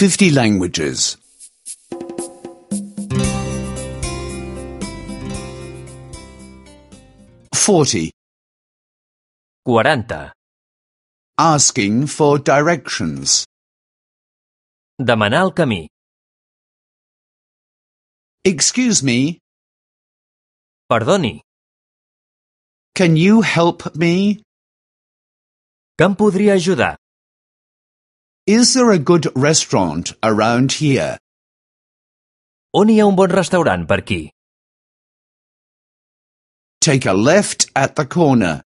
50 languages. 40. 40. Asking for directions. Demanar el camí. Excuse me, Perdoni, can you help me? que em podria ajudar? Is there a good restaurant around here? On hi ha un bon restaurant per aquí? Take a left at the corner.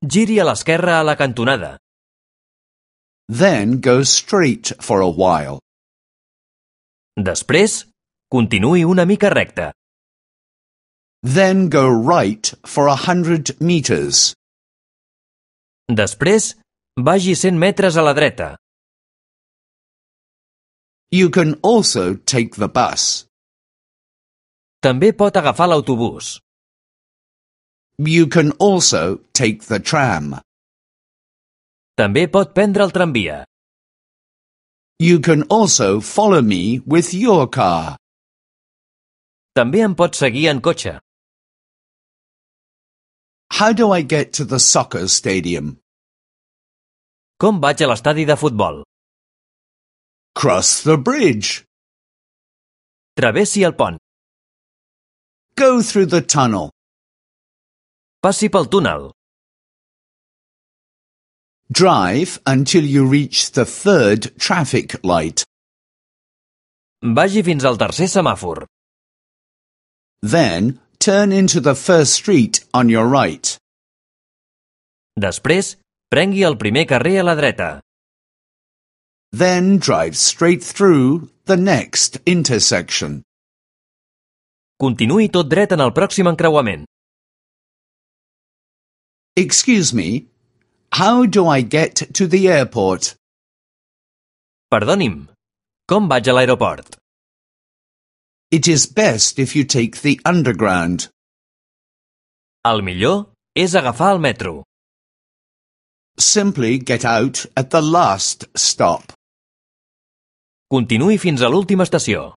Giri a l'esquerra a la cantonada. Then go straight for a while. Després, continuï una mica recte. Then go right for 100 meters. Després, vagi 100 metres a la dreta. You can also take the bus. També pot agafar l'autobús. You can also take the tram. També pot prendre el tramvia. You can also follow me with your car. També em pot seguir en cotxe. How do I get to the soccer stadium? Com vaig a l'estadi de futbol? Cross the bridge. Travessi el pont. Go through the tunnel. Passi pel túnel. Drive until you reach the third traffic light. Vagi fins al tercer semàfor. Then turn into the first street on your right. Després, prengui el primer carrer a la dreta. Then drive straight through the next intersection. Continuï tot dret en el pròxim encreuament. Excuse me, how do I get to the airport? Perdoni'm, com vaig a l'aeroport? It is best if you take the underground. El millor és agafar el metro. Simply get out at the last stop. Continuï fins a l'última estació.